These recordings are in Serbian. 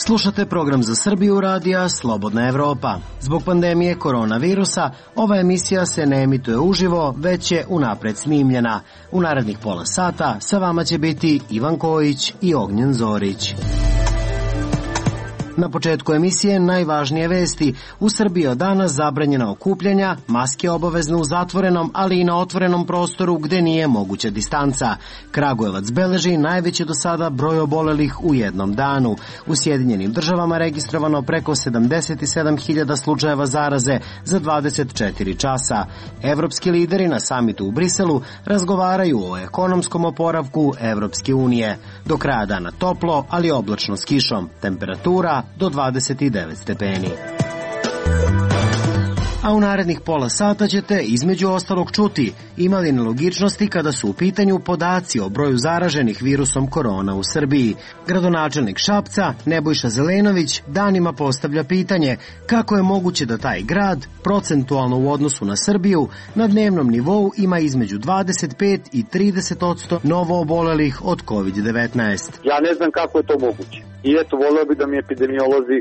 Slušate program za Srbiju radija Slobodna Evropa. Zbog pandemije koronavirusa, ova emisija se ne emituje uživo, već je unapred snimljena. U narednih pola sata sa vama će biti Ivan Kojić i Ognjen Zorić. Na početku emisije najvažnije vesti. U Srbiji od danas zabranjena okupljanja, maske obavezne u zatvorenom, ali i na otvorenom prostoru gde nije moguća distanca. Kragujevac beleži najveći do sada broj obolelih u jednom danu. U Sjedinjenim državama registrovano preko 77.000 slučajeva zaraze za 24 časa. Evropski lideri na samitu u Briselu razgovaraju o ekonomskom oporavku Evropske unije. Do kraja dana toplo, ali oblačno s kišom. Temperatura do 29 stepeni. A u narednih pola sata ćete između ostalog čuti ima li nelogičnosti kada su u pitanju podaci o broju zaraženih virusom korona u Srbiji. Gradonačelnik Šapca, Nebojša Zelenović, danima postavlja pitanje kako je moguće da taj grad, procentualno u odnosu na Srbiju, na dnevnom nivou ima između 25 i 30% novo obolelih od COVID-19. Ja ne znam kako je to moguće. I eto, voleo bi da mi epidemiolozi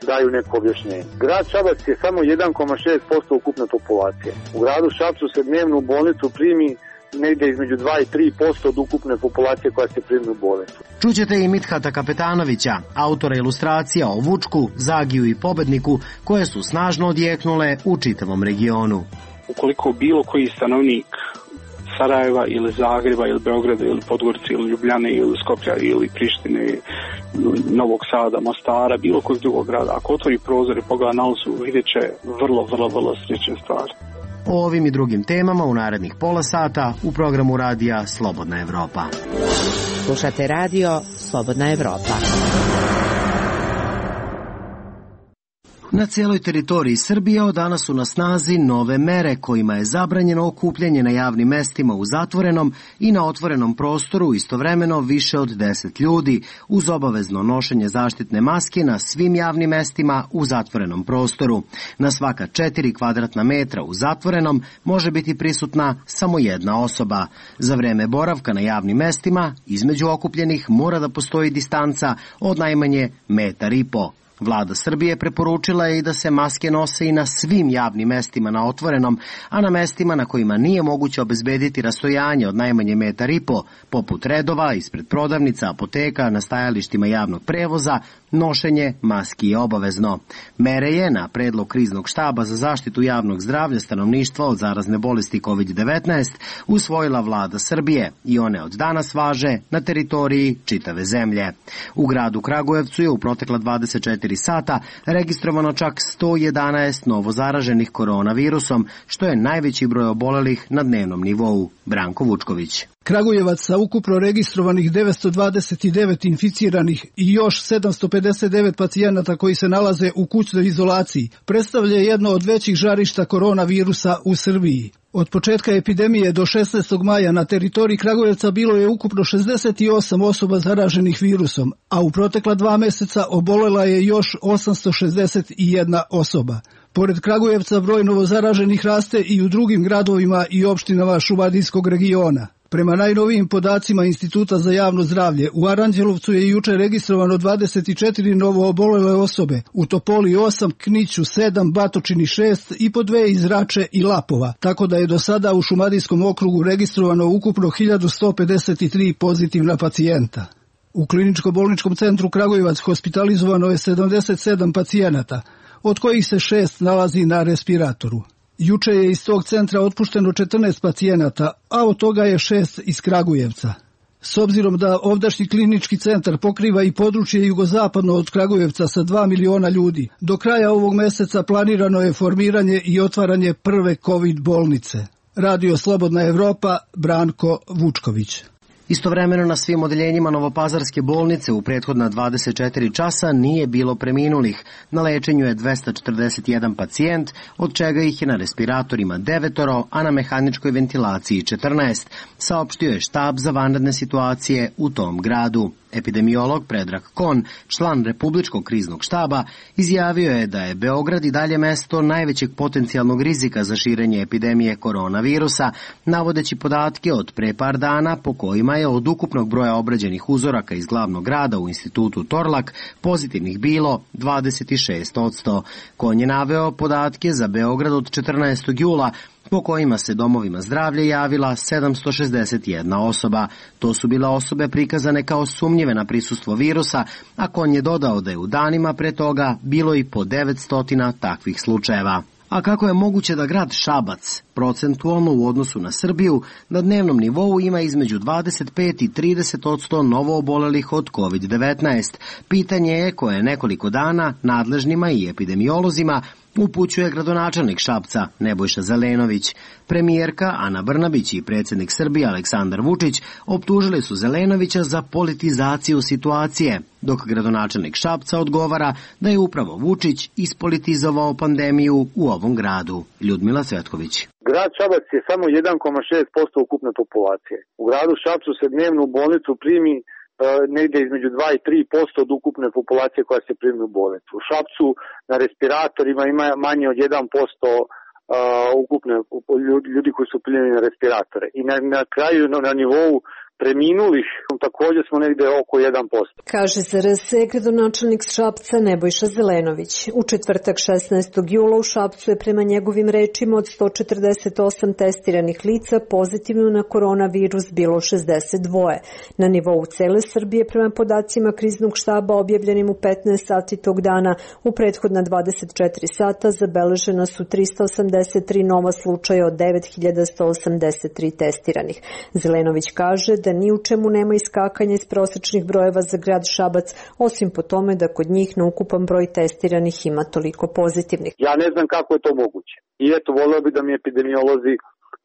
daju neko objašnjenje. Grad Šabac je samo 1,6% ukupne populacije. U gradu Šapcu se dnevno u bolnicu primi negde između 2 i 3% od ukupne populacije koja se primi u bolnicu. Čućete i Mithata Kapetanovića, autora ilustracija o Vučku, Zagiju i Pobedniku, koje su snažno odjeknule u čitavom regionu. Ukoliko bilo koji stanovnik Sarajeva ili Zagreba ili Beograda ili Podgorice ili Ljubljane ili Skoplja ili Prištine ili Novog Sada, Mostara, bilo kojeg drugog grada, ako otvori prozor i pogleda na ulicu, vidjet će vrlo slične stvari. O ovim i drugim temama u narednih pola sata u programu radija Slobodna Evropa. Slušate radio Slobodna Evropa. Na cijeloj teritoriji Srbije od danas su na snazi nove mere kojima je zabranjeno okupljanje na javnim mestima u zatvorenom i na otvorenom prostoru istovremeno više od 10 ljudi, uz obavezno nošenje zaštitne maske na svim javnim mestima u zatvorenom prostoru. Na svaka 4 kvadratna metra u zatvorenom može biti prisutna samo jedna osoba. Za vreme boravka na javnim mestima između okupljenih mora da postoji distanca od najmanje 1,5 metra. Vlada Srbije preporučila je i da se maske nose i na svim javnim mestima na otvorenom, a na mestima na kojima nije moguće obezbediti rastojanje od najmanje 1,5 metra, poput redova, ispred prodavnica, apoteka, na stajalištima javnog prevoza, nošenje maski je obavezno. Mere je na predlog kriznog štaba za zaštitu javnog zdravlja stanovništva od zarazne bolesti COVID-19 usvojila Vlada Srbije i one od danas važe na teritoriji čitave zemlje. U gradu Kragujevcu je u protekla 24 sata registrovano čak 111 novo zaraženih koronavirusom, što je najveći broj obolelih na dnevnom nivou. Branko Vučković. Kragujevac sa ukupno registrovanih 929 inficiranih i još 759 pacijenata koji se nalaze u kućnoj izolaciji predstavlja jedno od većih žarišta koronavirusa u Srbiji. Od početka epidemije do 16. maja na teritoriji Kragujevca bilo je ukupno 68 osoba zaraženih virusom, a u protekla 2 meseca obolela je još 861 osoba. Pored Kragujevca broj novozaraženih raste i u drugim gradovima i opštinama Šumadijskog regiona. Prema najnovijim podacima Instituta za javno zdravlje, u Aranđelovcu je juče registrovano 24 novo obolele osobe, u Topoli 8, Kniću 7, Batočini 6 i po 2 iz Rače i Lapova, tako da je do sada u Šumadijskom okrugu registrovano ukupno 1153 pozitivna pacijenta. U kliničko-bolničkom centru Kragujevac hospitalizovano je 77 pacijenata, od kojih se 6 nalazi na respiratoru. Juče je iz tog centra otpušteno 14 pacijenata, a od toga je 6 iz Kragujevca. S obzirom da ovdašnji klinički centar pokriva i područje jugozapadno od Kragujevca sa 2 miliona ljudi, do kraja ovog meseca planirano je formiranje i otvaranje prve COVID bolnice. Radio Slobodna Evropa, Branko Vučković. Istovremeno na svim odeljenjima Novopazarske bolnice u prethodna 24 časa nije bilo preminulih. Na lečenju je 241 pacijent, od čega ih je na respiratorima 9, a na mehaničkoj ventilaciji 14, saopštio je štab za vanredne situacije u tom gradu. Epidemiolog Predrag Kon, član Republičkog kriznog štaba, izjavio je da je Beograd i dalje mesto najvećeg potencijalnog rizika za širenje epidemije koronavirusa, navodeći podatke od pre par dana po kojima je od ukupnog broja obrađenih uzoraka iz glavnog grada u institutu Torlak pozitivnih bilo 26%. Kon je naveo podatke za Beograd od 14. jula, po kojima se domovima zdravlja javila 761 osoba. To su bile osobe prikazane kao sumnjive na prisustvo virusa, a Kon je dodao da je u danima pre toga bilo i po 900 takvih slučajeva. A kako je moguće da grad Šabac, procentualno u odnosu na Srbiju, na dnevnom nivou ima između 25 i 30% novo obolelih od COVID-19? Pitanje je koje nekoliko dana nadležnima i epidemiolozima upućuje gradonačelnik Šapca Nebojša Zelenović. Premijerka Ana Brnabić i predsjednik Srbije Aleksandar Vučić optužili su Zelenovića za politizaciju situacije, dok gradonačelnik Šapca odgovara da je upravo Vučić ispolitizovao pandemiju u ovom gradu. Ljudmila Cvetković. Grad Šabac je samo 1,6% ukupne populacije. U gradu Šapcu se dnevno u bolnicu primi negde između 2 i 3% od ukupne populacije koja se primi u bolnicu. U Šapcu na respiratorima ima manje od 1% ukupne ljudi koji su primljeni na respiratore. I na kraju na nivou preminulih također smo negde oko 1%. Kaže za RS gradonačelnik Šapca Nebojša Zelenović. U četvrtak 16. jula u Šapcu je prema njegovim rečima od 148 testiranih lica pozitivno na koronavirus bilo 62. Na nivou cele Srbije prema podacima kriznog štaba objavljenim u 15 sati tog dana u prethodna 24 sata zabeležena su 383 nova slučaja od 9183 testiranih. Zelenović kaže da ni u čemu nema iskakanja iz prosečnih brojeva za grad Šabac, osim po tome da kod njih na ukupan broj testiranih ima toliko pozitivnih. Ja ne znam kako je to moguće. I eto, voleo bi da mi epidemiolozi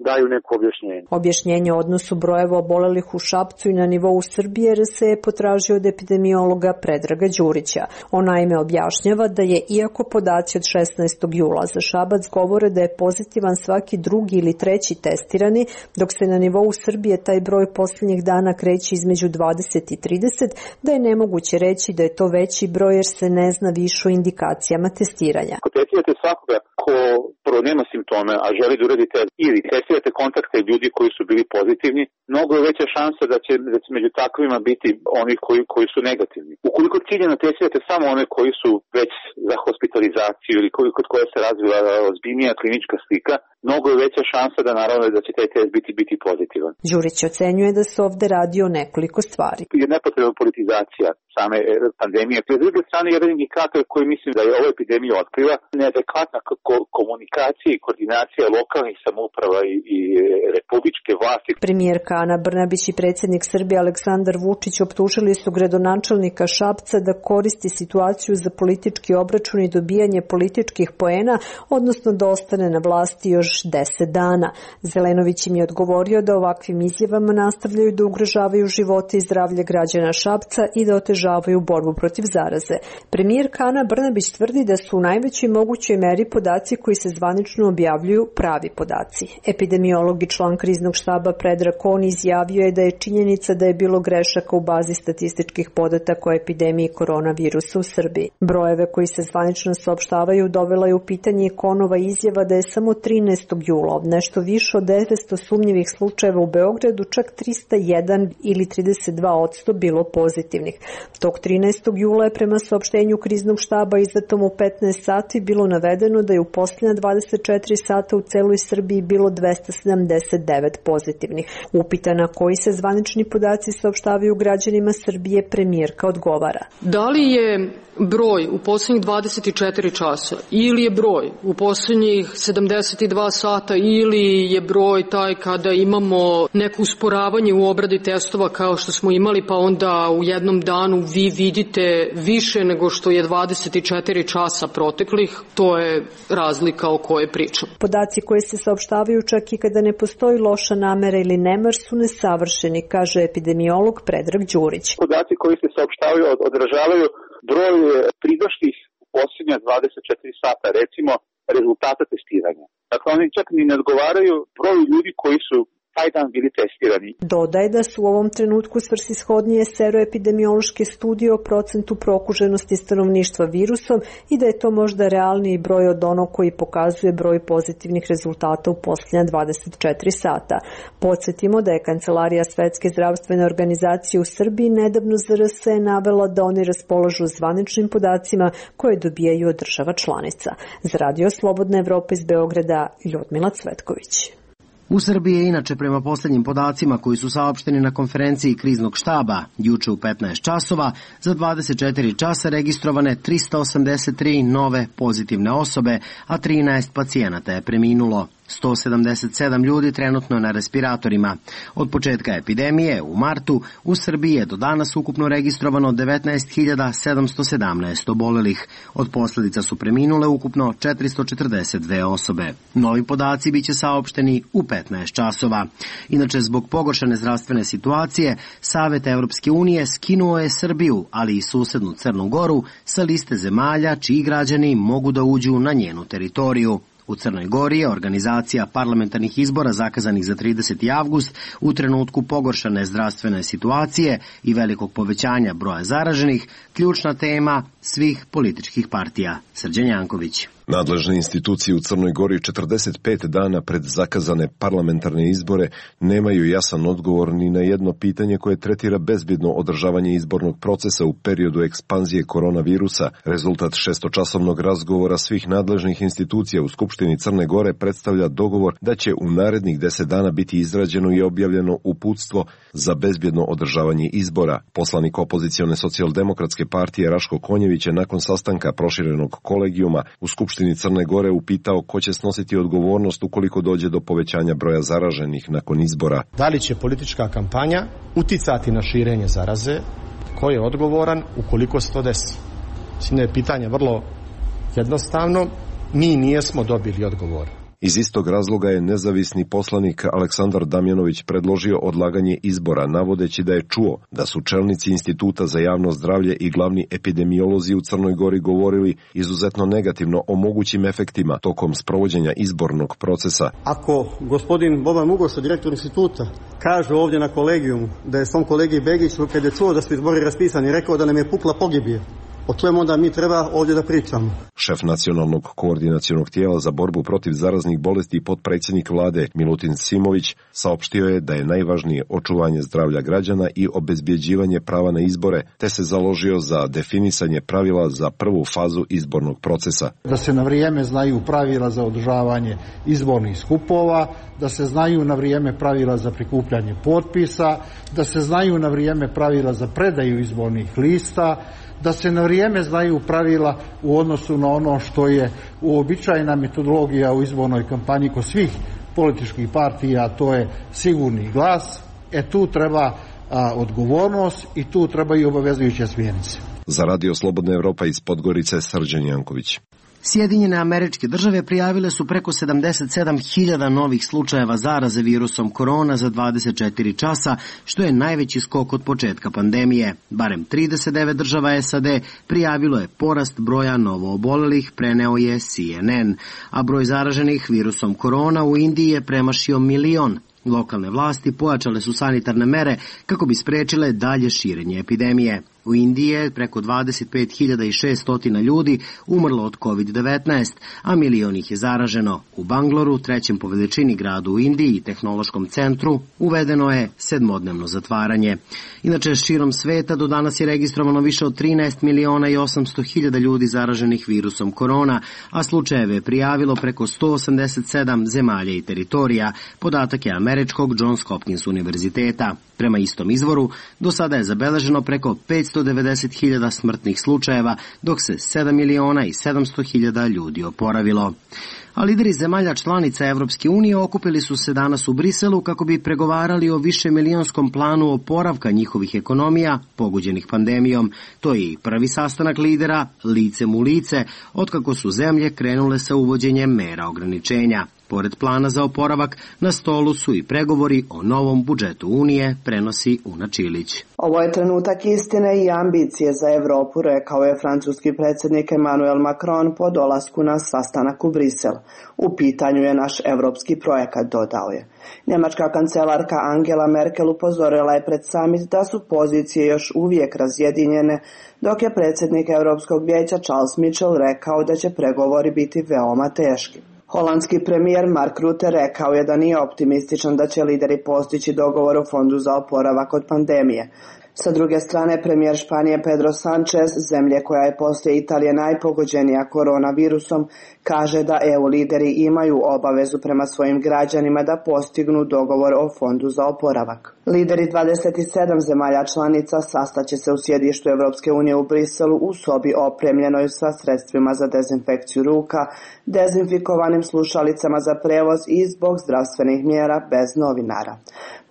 daju neko objašnjenje. Objašnjenje o odnosu brojeva obolelih u Šapcu i na nivou Srbije RS je potražio od epidemiologa Predraga Đurića. On naime objašnjava da je, iako podaci od 16. jula za Šabac govore da je pozitivan svaki drugi ili treći testirani, dok se na nivou Srbije taj broj posljednjih dana kreće između 20 i 30, da je nemoguće reći da je to veći broj jer se ne zna više o indikacijama testiranja. Ako testirate svakoga ko prvo nema simptome, a želi da uradite ili testirate kontakte ljudi koji su bili pozitivni, mnogo je veća šansa da će među takvima biti oni koji su negativni. Ukoliko ciljano testirate samo one koji su već za hospitalizaciju ili kod koje se razvila ozbiljnija klinička slika, mnogo je veća šansa da naravno da će taj test biti pozitivan. Đurić ocenjuje da se ovde radi o nekoliko stvari. Je nepotrebna politizacija same pandemije. S druge strane, jedan indikator koji mislim da je ova epidemija otkriva, neadekvatna komunikacija i koordinacija lokalnih samouprava i republičke vlasti. Premijerka Ana Brnabić i predsjednik Srbije Aleksandar Vučić optužili su gradonačelnika Šapca da koristi situaciju za politički obračun i dobijanje političkih poena, odnosno da ostane na vlasti još 10 dana. Zelenović im je odgovorio da ovakvim izjavama nastavljaju da ugrožavaju živote i zdravlje građana Šapca i da otežavaju borbu protiv zaraze. Premijerka Ana Brnabić tvrdi da su u najvećoj mogućoj meri podaci koji se zvanično objavljuju pravi podaci. Epidemiolog i član kriznog štaba Predrag Kon izjavio je da je činjenica da je bilo grešaka u bazi statističkih podataka o epidemiji koronavirusa u Srbiji. Brojeve koji se zvanično saopštavaju dovela je u pitanje Konova izjava da je samo 13. jula od nešto više od 900 sumnjivih slučajeva u Beogradu čak 301 ili 32% bilo pozitivnih. Tog 13. jula je prema saopštenju kriznog štaba izdatom u 15 sati bilo navedeno da je u posljednja 24 sata u celoj Srbiji bilo 279 pozitivnih. Upitana koji se zvanični podaci saopštavaju građanima Srbije, premijerka odgovara. Da li je broj u posljednjih 24 časa ili je broj u posljednjih 72 sata ili je broj taj kada imamo neko usporavanje u obradi testova kao što smo imali, pa onda u jednom danu vi vidite više nego što je 24 časa proteklih, to je razlika o kojoj pričam. Podaci koji se saopštavaju čak i kada ne postoji loša namera ili nemar su nesavršeni, kaže epidemiolog Predrag Đurić. Podaci koji se saopštavaju odražavaju broj pridošlih u posljednja 24 sata, recimo rezultata testiranja. Dakle, oni čak ni ne odgovaraju broju ljudi koji su taj dan bili testirani. Dodaje da su u ovom trenutku svrsishodnije seroepidemiološke studije o procentu prokuženosti stanovništva virusom i da je to možda realniji broj od onog koji pokazuje broj pozitivnih rezultata u posljednja 24 sata. Podsjetimo da je Kancelarija Svetske zdravstvene organizacije u Srbiji nedavno za RSE navela da oni raspolažu zvaničnim podacima koje dobijaju od država članica. Za Radio Slobodna Evropa iz Beograda, Ljudmila Cvetković. U Srbiji je inače prema posljednjim podacima koji su saopšteni na konferenciji kriznog štaba juče u 15 časova za 24 časa registrovane 383 nove pozitivne osobe, a 13 pacijenata je preminulo. 177 ljudi trenutno na respiratorima. Od početka epidemije u martu u Srbiji je do danas ukupno registrovano 19.717 obolelih. Od posljedica su preminule ukupno 442 osobe. Novi podaci biće saopšteni u 15 časova. Inače, zbog pogoršane zdravstvene situacije, Savet Evropske unije skinuo je Srbiju, ali i susednu Crnu Goru, sa liste zemalja čiji građani mogu da uđu na njenu teritoriju. U Crnoj Gori je organizacija parlamentarnih izbora zakazanih za 30. avgust u trenutku pogoršane zdravstvene situacije i velikog povećanja broja zaraženih ključna tema svih političkih partija. Srđan Janković. Nadležne institucije u Crnoj Gori 45 dana pred zakazane parlamentarne izbore nemaju jasan odgovor ni na jedno pitanje koje tretira bezbjedno održavanje izbornog procesa u periodu ekspanzije koronavirusa. Rezultat šestočasovnog razgovora svih nadležnih institucija u Skupštini Crne Gore predstavlja dogovor da će u narednih 10 dana biti izrađeno i objavljeno uputstvo za bezbjedno održavanje izbora. Poslanik opozicione socijaldemokratske partije Raško Konjević je nakon sastanka proširenog kolegijuma u Skupštini Crne Gore upitao ko će snositi odgovornost ukoliko dođe do povećanja broja zaraženih nakon izbora. Da li će politička kampanja uticati na širenje zaraze? Ko je odgovoran ukoliko se to desi? Mislim da je pitanje vrlo jednostavno. Mi nijesmo dobili odgovor. Iz istog razloga je nezavisni poslanik Aleksandar Damjanović predložio odlaganje izbora, navodeći da je čuo da su čelnici Instituta za javno zdravlje i glavni epidemiolozi u Crnoj Gori govorili izuzetno negativno o mogućim efektima tokom sprovođenja izbornog procesa. Ako gospodin Boban Mugoša, direktor instituta, kaže ovdje na kolegijumu da je svom kolegi Begiću, kad je čuo da su izbori raspisani, rekao da nam je pukla pogibije, o čemu onda mi treba ovdje da pričamo? Šef nacionalnog koordinacionog tijela za borbu protiv zaraznih bolesti i potpredsjednik vlade Milutin Simović saopštio je da je najvažnije očuvanje zdravlja građana i obezbjeđivanje prava na izbore, te se založio za definisanje pravila za prvu fazu izbornog procesa. Da se na vrijeme znaju pravila za održavanje izbornih skupova, da se znaju na vrijeme pravila za prikupljanje potpisa, da se znaju na vrijeme pravila za predaju izbornih lista, da se na vrijeme znaju pravila u odnosu na ono što je uobičajena metodologija u izbornoj kampanji kod svih političkih partija, a to je sigurni glas. Tu treba odgovornost i tu treba i obavezujuće smjernice. Za Radio Slobodna Evropa iz Podgorice, Srđan Janković. Sjedinjene Američke Države prijavile su preko 77.000 novih slučajeva zaraze virusom korona za 24 časa, što je najveći skok od početka pandemije. Barem 39 država SAD prijavilo je porast broja novoobolelih, preneo je CNN, a broj zaraženih virusom korona u Indiji je premašio 1 milion. Lokalne vlasti pojačale su sanitarne mere kako bi sprečile dalje širenje epidemije. U Indiji je preko 25.600 ljudi umrlo od COVID-19, a milion ih je zaraženo. U Bangloru, trećem po veličini gradu u Indiji i tehnološkom centru, uvedeno je 7-dnevno zatvaranje. Inače, širom sveta do danas je registrovano više od 13.800.000 ljudi zaraženih virusom korona, a slučajeve je prijavilo preko 187 zemalja i teritorija, podatak je američkog Johns Hopkins univerziteta. Prema istom izvoru, do sada je zabeleženo preko 590.000 smrtnih slučajeva, dok se 7.700.000 ljudi oporavilo. A lideri zemalja članica Evropske unije okupili su se danas u Briselu kako bi pregovarali o višemilijonskom planu oporavka njihovih ekonomija pogođenih pandemijom. To je i prvi sastanak lidera licem u lice otkako su zemlje krenule sa uvođenjem mera ograničenja. Pored plana za oporavak, na stolu su i pregovori o novom budžetu Unije, prenosi Una Čilić. Ovo je trenutak istine i ambicije za Evropu, rekao je francuski predsjednik Emmanuel Macron po dolasku na sastanak u Brisel. U pitanju je naš evropski projekat, dodao je. Njemačka kancelarka Angela Merkel upozorila je pred samit da su pozicije još uvijek razjedinjene, dok je predsjednik Europskog vijeća Charles Michel rekao da će pregovori biti veoma teški. Holandski premijer Mark Rutte rekao je da nije optimističan da će lideri postići dogovor o fondu za oporavak od pandemije. Sa druge strane, premijer Španije Pedro Sanchez, zemlje koja je poslije Italije najpogođenija koronavirusom, kaže da EU lideri imaju obavezu prema svojim građanima da postignu dogovor o fondu za oporavak. Lideri 27 zemalja članica sastaće se u sjedištu Europske unije u Briselu u sobi opremljenoj sa sredstvima za dezinfekciju ruka, dezinfikovanim slušalicama za prevoz i zbog zdravstvenih mjera bez novinara.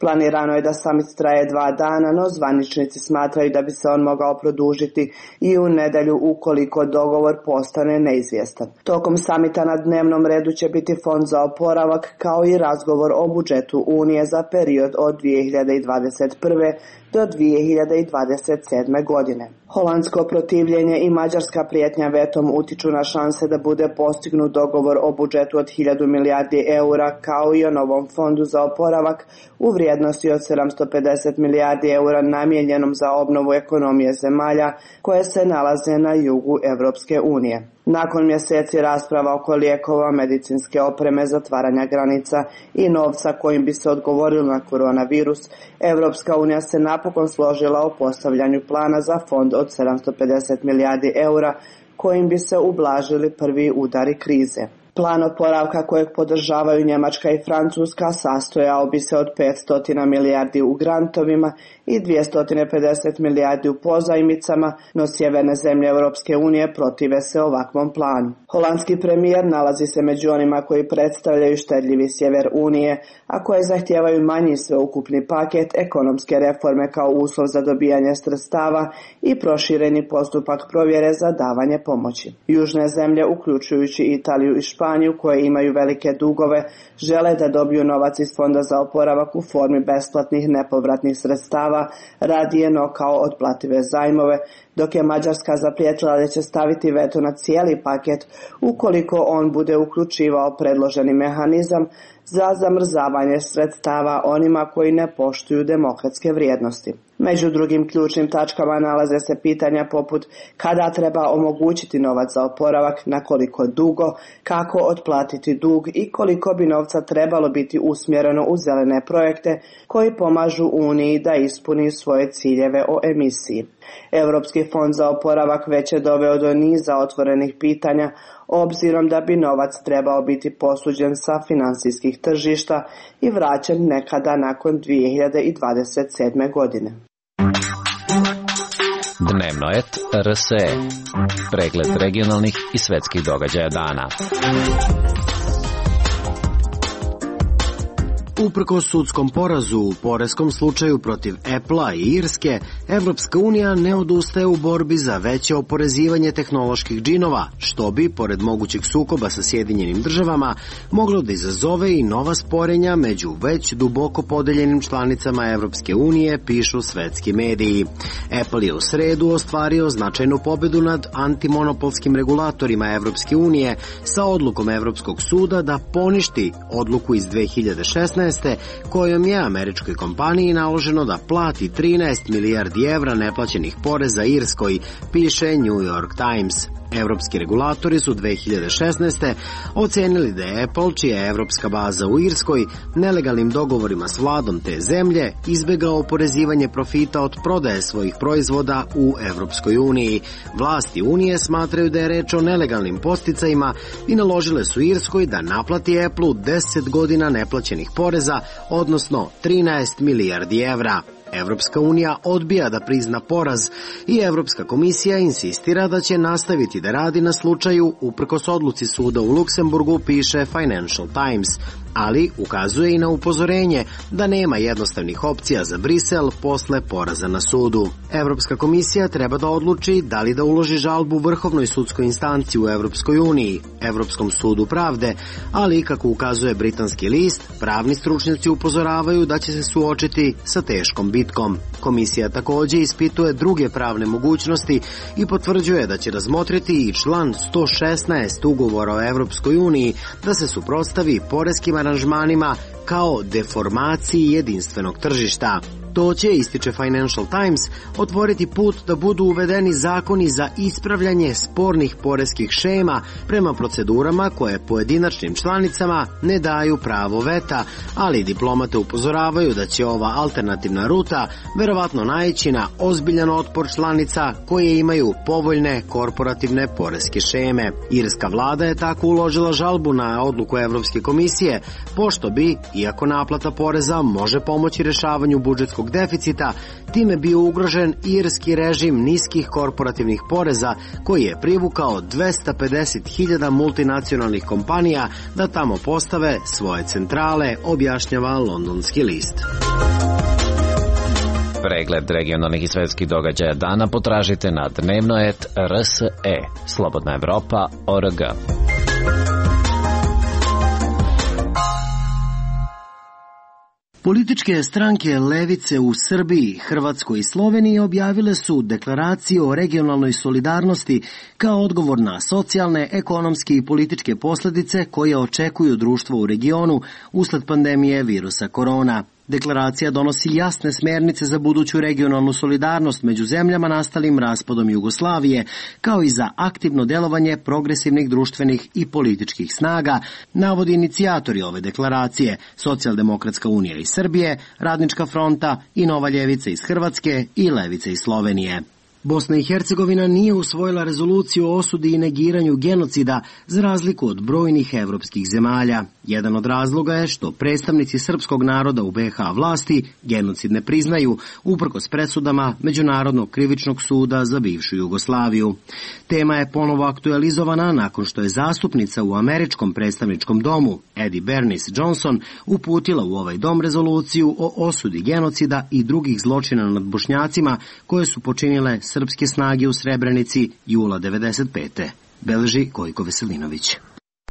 Planirano je da samit traje 2 dana, no zvaničnici smatraju da bi se on mogao produžiti i u nedjelju ukoliko dogovor postane neizvjestan. Tokom samita na dnevnom redu će biti fond za oporavak kao i razgovor o budžetu Unije za period od 2021. do 2027. godine. Holandsko protivljenje i mađarska prijetnja vetom utiču na šanse da bude postignut dogovor o budžetu od 1000 milijardi eura kao i o novom fondu za oporavak u vrijednosti od 750 milijardi eura namijenjenom za obnovu ekonomije zemalja koje se nalaze na jugu Europske unije. Nakon mjeseci rasprava oko lijekova, medicinske opreme, zatvaranja granica i novca kojim bi se odgovorilo na koronavirus, Europska unija se napokon složila o postavljanju plana za fond od 750 milijardi eura kojim bi se ublažili prvi udari krize. Plan oporavka kojeg podržavaju Njemačka i Francuska sastojao bi se od 500 milijardi u grantovima i 250 milijardi u pozajmicama, no sjeverne zemlje Europske unije protive se ovakvom planu. Holandski premijer nalazi se među onima koji predstavljaju štedljivi sjever Unije, a koje zahtijevaju manji sveukupni paket, ekonomske reforme kao uslov za dobijanje sredstava i prošireni postupak provjere za davanje pomoći. Južne zemlje, uključujući Italiju i Španiju, koje imaju velike dugove, žele da dobiju novac iz fonda za oporavak u formi besplatnih nepovratnih sredstava, radije no kao otplative zajmove, dok je Mađarska zaprijetila da će staviti veto na cijeli paket ukoliko on bude uključivao predloženi mehanizam za zamrzavanje sredstava onima koji ne poštuju demokratske vrijednosti. Među drugim ključnim tačkama nalaze se pitanja poput kada treba omogućiti novac za oporavak, na koliko dugo, kako otplatiti dug i koliko bi novca trebalo biti usmjereno u zelene projekte koji pomažu Uniji da ispuni svoje ciljeve o emisiji. Europski fond za oporavak već je doveo do niza otvorenih pitanja, obzirom da bi novac trebao biti posuđen sa financijskih tržišta i vraćen nekada nakon 2027. godine. Dnevno et RSE. Pregled regionalnih i svetskih događaja dana. Uprkos sudskom porazu u poreskom slučaju protiv Apple-a i Irske, Evropska unija ne odustaje u borbi za veće oporezivanje tehnoloških džinova, što bi, pored mogućeg sukoba sa Sjedinjenim državama, moglo da izazove i nova sporenja među već duboko podeljenim članicama Evropske unije, pišu svetski mediji. Apple je u sredu ostvario značajnu pobedu nad antimonopolskim regulatorima Evropske unije sa odlukom Evropskog suda da poništi odluku iz 2016. kojom je američkoj kompaniji naloženo da plati 13 milijardi evra neplaćenih poreza Irskoj, piše New York Times. Evropski regulatori su 2016. ocenili da je Apple, čija je evropska baza u Irskoj, nelegalnim dogovorima s vladom te zemlje izbegao oporezivanje profita od prodaje svojih proizvoda u Evropskoj uniji. Vlasti Unije smatraju da je reč o nelegalnim podsticajima i naložile su Irskoj da naplati Apple-u 10 godina neplaćenih poreza, odnosno 13 milijardi evra. Evropska unija odbija da prizna poraz i Evropska komisija insistira da će nastaviti da radi na slučaju uprkos odluci suda u Luksemburgu, piše Financial Times, ali ukazuje i na upozorenje da nema jednostavnih opcija za Brisel posle poraza na sudu. Evropska komisija treba da odluči da li da uloži žalbu Vrhovnoj sudskoj instanciji u Evropskoj uniji, Evropskom sudu pravde, ali kako ukazuje britanski list, pravni stručnjaci upozoravaju da će se suočiti sa teškom bitkom. Komisija takođe ispituje druge pravne mogućnosti i potvrđuje da će razmotriti i član 116 ugovora o Evropskoj uniji da se suprotstavi poreskim aranžmanima kao deformaciji jedinstvenog tržišta. To će, ističe Financial Times, otvoriti put da budu uvedeni zakoni za ispravljanje spornih poreskih šema prema procedurama koje pojedinačnim članicama ne daju pravo veta, ali diplomate upozoravaju da će ova alternativna ruta verovatno naići na ozbiljan otpor članica koje imaju povoljne korporativne poreske šeme. Irska vlada je tako uložila žalbu na odluku Evropske komisije, pošto bi, iako naplata poreza može pomoći rešavanju budžetskog deficita, time bio ugrožen irski režim niskih korporativnih poreza koji je privukao 250.000 multinacionalnih kompanija da tamo postave svoje centrale, objašnjava londonski list. Pregled regionalnih i svetskih događaja dana potražite na dnevno.rs.e. Slobodna Evropa.org. Političke stranke levice u Srbiji, Hrvatskoj i Sloveniji objavile su deklaraciju o regionalnoj solidarnosti kao odgovor na socijalne, ekonomske i političke posledice koje očekuju društvo u regionu usled pandemije virusa korona. Deklaracija donosi jasne smernice za buduću regionalnu solidarnost među zemljama nastalim raspadom Jugoslavije, kao i za aktivno delovanje progresivnih društvenih i političkih snaga, navodi inicijatori ove deklaracije, Socijaldemokratska unija iz Srbije, Radnička fronta i Nova ljevica iz Hrvatske i Levica iz Slovenije. Bosna i Hercegovina nije usvojila rezoluciju o osudi i negiranju genocida za razliku od brojnih evropskih zemalja. Jedan od razloga je što predstavnici srpskog naroda u BiH vlasti genocid ne priznaju, uprkos presudama Međunarodnog krivičnog suda za bivšu Jugoslaviju. Tema je ponovo aktualizovana nakon što je zastupnica u američkom predstavničkom domu, Eddie Bernice Johnson, uputila u ovaj dom rezoluciju o osudi genocida i drugih zločina nad Bošnjacima koje su počinile srpske snage u Srebrenici jula 1995. Beleži Gojko Veselinović.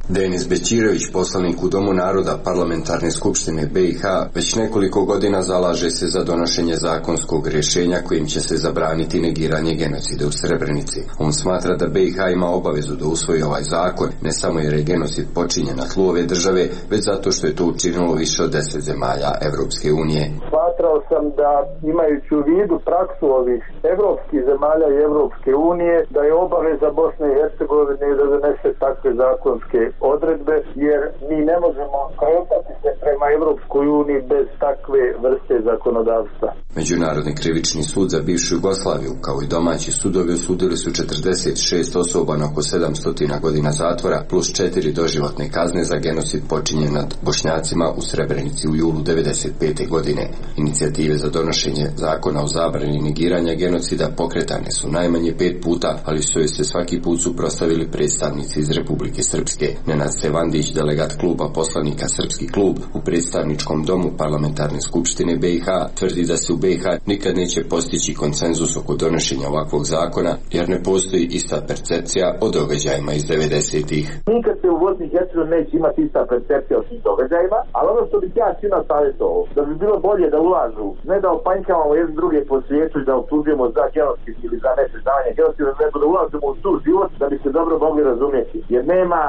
Denis Bećirović, poslanik u Domu naroda Parlamentarne skupštine BiH, već nekoliko godina zalaže se za donošenje zakonskog rješenja kojim će se zabraniti negiranje genocida u Srebrenici. On smatra da BiH ima obavezu da usvoji ovaj zakon, ne samo jer je genocid počinjen na tlu ove države, već zato što je to učinilo više od 10 zemalja Evropske unije. Smatrao sam da, imajući u vidu praksu ovih evropskih zemalja i Evropske unije, da je obaveza Bosne i Hercegovine da donese takve zakonske odredbe, jer mi ne možemo kretati se prema Evropskoj uniji bez takve vrste zakonodavstva. Međunarodni krivični sud za bivšu Jugoslaviju, kao i domaći sudovi, osudili su 46 osoba na oko 700 godina zatvora plus 4 doživotne kazne za genocid počinjen nad Bošnjacima u Srebrenici u julu 1995. godine. Inicijative za donošenje zakona o zabrani negiranja genocida pokretane su najmanje 5 puta, ali su joj se svaki put suprotstavili predstavnici iz Republike Srpske. Nenad Sevandić, delegat kluba poslanika Srpski klub u predstavničkom domu Parlamentarne skupštine BiH, tvrdi da se u BiH nikad neće postići konsenzus oko donošenja ovakvog zakona, jer ne postoji ista percepcija o događajima iz 90-ih. Nikad se u Bosni i Hercegovini neće imati ista percepcija o tim događajima, ali ono što bih ja svima savjetovao, da bi bilo bolje da ulažu, ne da opanjkavamo jedne druge po svijetu i da optužujemo za genocid ili za nepriznavanje genocida, nego da ulažemo u tu život da bi se dobro mogli razumjeti, jer nema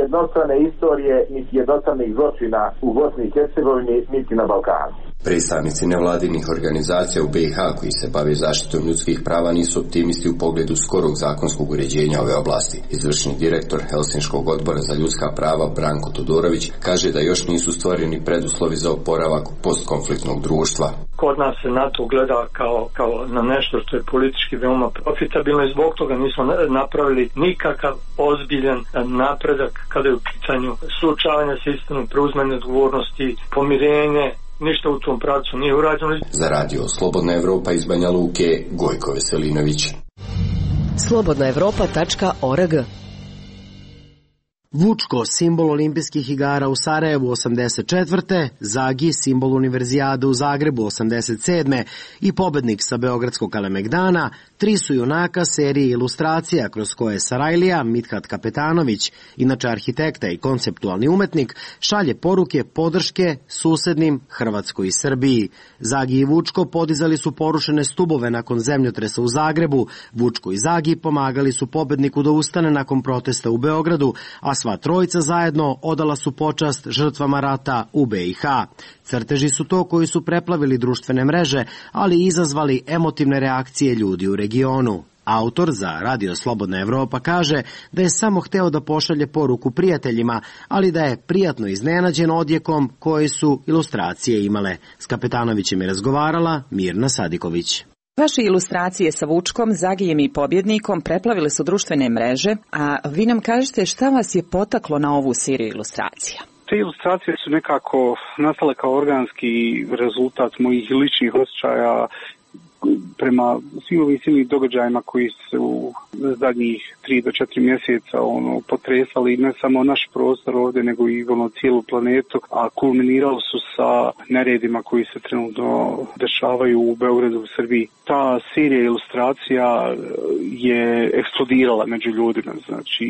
jednostrane istorije niti jednostranih zločina u Bosni i Hercegovini niti na Balkanu. Predstavnici nevladinih organizacija u BiH koji se bave zaštitom ljudskih prava nisu optimisti u pogledu skorog zakonskog uređenja ove oblasti. Izvršni direktor Helsinškog odbora za ljudska prava Branko Todorović kaže da još nisu stvoreni preduslovi za oporavak postkonfliktnog društva. Kod nas se na to gleda kao na nešto što je politički veoma profitabilno i zbog toga nismo napravili nikakav ozbiljan napredak kada je u pitanju suočavanja sa istinom, preuzimanje odgovornosti, pomirenje ništa u tom pravcu nije urađeno. Za radio Slobodna Evropa iz Banja Luke, Gojko Veselinović. slobodnaevropa.org. Vučko, simbol olimpijskih igara u Sarajevu 84. Zagi, simbol univerzijade u Zagrebu 87. i pobednik sa Beogradskog Kalemegdana, tri su junaka serije ilustracija kroz koje Sarajlija, Mithat Kapetanović, inače arhitekta i konceptualni umetnik, šalje poruke podrške susednim Hrvatskoj i Srbiji. Zagi i Vučko podizali su porušene stubove nakon zemljotresa u Zagrebu, Vučko i Zagi pomagali su pobedniku da ustane nakon protesta u Beogradu, a sva trojica zajedno odala su počast žrtvama rata u BiH. Crteži su to koji su preplavili društvene mreže, ali i izazvali emotivne reakcije ljudi u regionu. Autor za Radio Slobodna Evropa kaže da je samo hteo da pošalje poruku prijateljima, ali da je prijatno iznenađen odjekom koje su ilustracije imale. S Kapetanovićem je razgovarala Mirna Sadiković. Vaše ilustracije sa Vučkom, Zagijem i pobjednikom preplavile su društvene mreže, a vi nam kažete šta vas je potaklo na ovu seriju ilustracija? Te ilustracije su nekako nastale kao organski rezultat mojih ličnih osjećaja prema svim ovim silnim događajima koji su zadnjih 3 do 4 mjeseca potresali ne samo naš prostor ovdje, nego i cijelu planetu, a kulminirali su sa neredima koji se trenutno dešavaju u Beogradu, u Srbiji. Ta serija ilustracija je eksplodirala među ljudima, znači...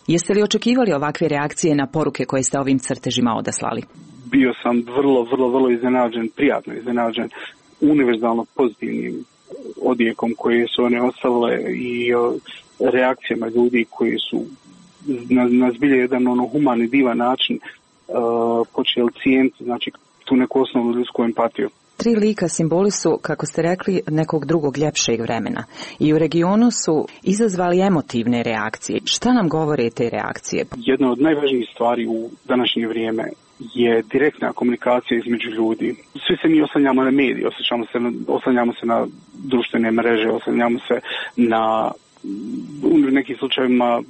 Jeste li očekivali ovakve reakcije na poruke koje ste ovim crtežima odaslali? Bio sam vrlo iznenađen, prijatno iznenađen, univerzalno pozitivnim odjekom koje su one ostavile i reakcijama ljudi koji su na zbilje jedan humani, divan način počeli cijeniti, znači, tu neku osnovnu ljudsku empatiju. Tri lika simboli su, kako ste rekli, nekog drugog ljepšeg vremena. I u regionu su izazvali emotivne reakcije. Šta nam govore te reakcije? Jedna od najvažnijih stvari u današnje vrijeme je direktna komunikacija između ljudi. Svi se mi oslanjamo na medije, oslanjamo se na društvene mreže, oslanjamo se na, u nekim slučajevima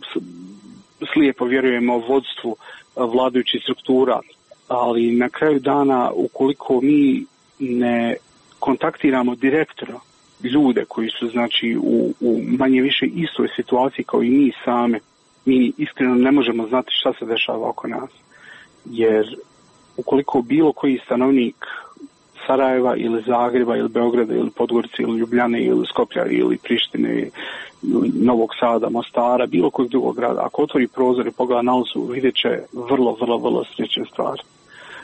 slijepo vjerujemo vodstvu vladajućih struktura, ali na kraju dana ukoliko mi ne kontaktiramo direktno ljude koji su, znači, u manje više istoj situaciji kao i mi same, mi iskreno ne možemo znati šta se dešava oko nas. Jer ukoliko bilo koji stanovnik Sarajeva ili Zagreba ili Beograda ili Podgorice ili Ljubljane ili Skoplja ili Prištine ili Novog Sada, Mostara, bilo kojeg drugog grada, ako otvori prozor i pogleda na ulicu, vidjet će vrlo slične stvari.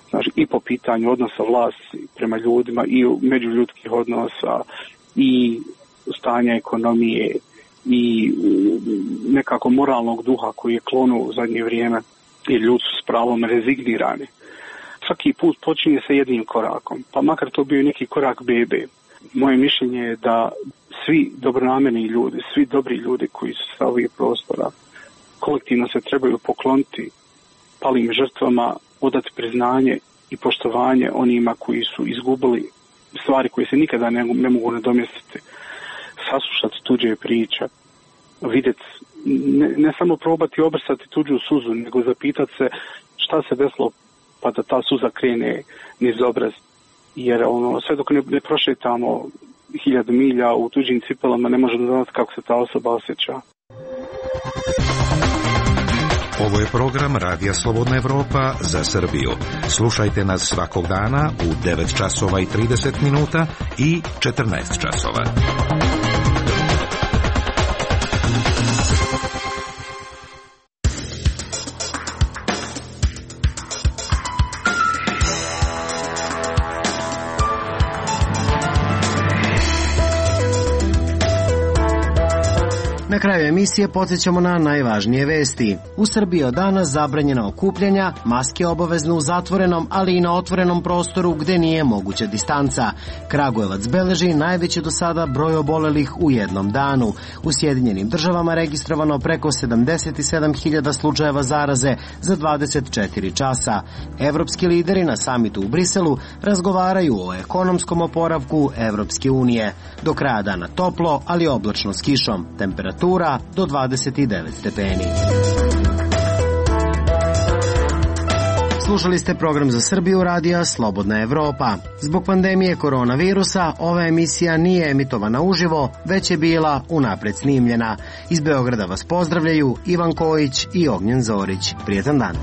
Znači, i po pitanju odnosa vlasti prema ljudima i međuljudskih odnosa i stanja ekonomije i nekako moralnog duha koji je klonuo u zadnje vrijeme, jer ljudi su s pravom rezignirani. Svaki put počinje sa jednim korakom, pa makar to bio neki korak bebe. Moje mišljenje je da svi dobronamerni ljudi, svi dobri ljudi koji su sa ovih prostora, kolektivno se trebaju pokloniti palim žrtvama, odati priznanje i poštovanje onima koji su izgubili stvari koje se nikada ne mogu nadomjestiti. Saslušati tuđe priče, vidjeti, ne samo probati obrsati tuđu suzu, nego zapitati se šta se desilo pa da ta suza krene niz obraz. Jer sve dok ne prošetamo 1000 milja u tuđim cipelama, ne možemo znati kako se ta osoba osjeća. Ovo je program Radija Slobodna Evropa za Srbiju. Slušajte nas svakog dana u 9 časova i 30 minuta i 14 časova. Na kraju emisije podsjećamo na najvažnije vesti. U Srbiji od danas zabranjena okupljanja, maske obavezno u zatvorenom, ali i na otvorenom prostoru gde nije moguća distanca. Kragujevac beleži najveći do sada broj obolelih u jednom danu. U Sjedinjenim Državama registrovano preko 77.000 slučajeva zaraze za 24 časa. Evropski lideri na samitu u Briselu razgovaraju o ekonomskom oporavku Evropske unije. Do kraja dana toplo, ali oblačno s kišom. Temperatura do 29 stepeni. Slušali ste program za Srbiju radija Slobodna Evropa. Zbog pandemije koronavirusa ova emisija nije emitovana uživo, već je bila unapred snimljena. Iz Beograda vas pozdravljaju Ivan Kojić i Ognjen Zorić. Prijetan dan.